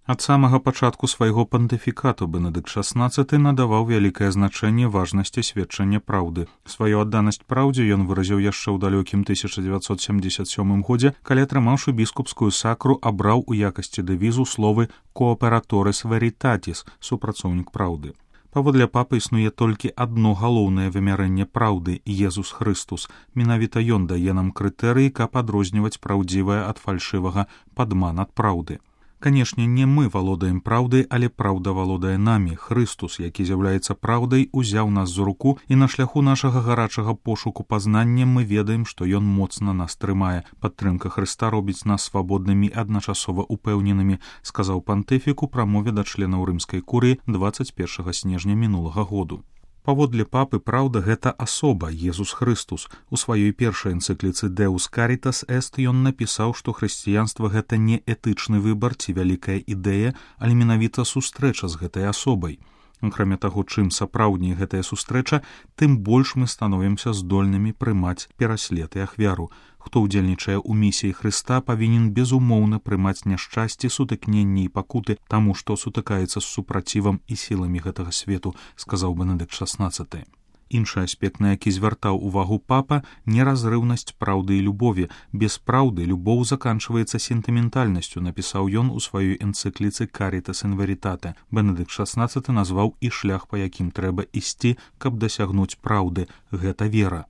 Ад самага пачатку свайго пантыфікату Бенедыкт XVI надаваў вялікае значэнне важнасці сведчання праўды. Сваю адданасць праўдзе ён выразіў яшчэ ў далёкім 1977 годзе, калі, атрымаўшы біскупскую сакру, абраў у якасці дэвізу словы «Cooperatores Veritatis» – супрацоўнік праўды. Паводле папы існуе толькі адно галоўнае вымярэнне праўды – Езус Хрыстус. Менавіта ён дае нам крытэрыі, каб адрозніваць праўдзівае ад фальшывага, падман ад праўды. Канешне, не мы валодаем праўдай, але праўда валодае намі. Хрыстус, які з'яўляецца праўдай, узяў нас за руку, і на шляху нашага гарачага пошуку пазнання мы ведаем, што ён моцна нас трымае. Падтрымка Хрыста робіць нас свабоднымі і адначасова упэўненымі, сказаў пантыфік у прамове да членаў рымскай курыі 21 снежня мінулага году. Паводле папы, праўда – гэта асоба, Езус Хрыстус. У сваёй першай энцыкліцы «Deus Caritas Est» ён напісаў, што хрысціянства – гэта не этычны выбар ці вялікая ідэя, але менавіта сустрэча з гэтай асобай. Акрамя таго, чым сапраўдней гэтая сустрэча, тым больш мы становімся здольнымі прымаць пераслед і ахвяру. Хто ўдзельнічае ў місіі Хрыста, павінен безумоўна прымаць няшчасці, сутыкненні і пакуты таму, што сутыкаецца з супрацівам і сіламі гэтага свету, сказаў Бенедыкт XVI. Іншы аспект, на які звяртаў увагу папа – неразрыўнасць праўды і любові. Без праўды любоў заканчваецца сентыментальнасцю, напісаў ён у сваёй энцыкліцы «Caritas in Veritate». Бенедыкт XVI назваў і шлях, па якім трэба ісці, каб дасягнуць праўды – гэта вера.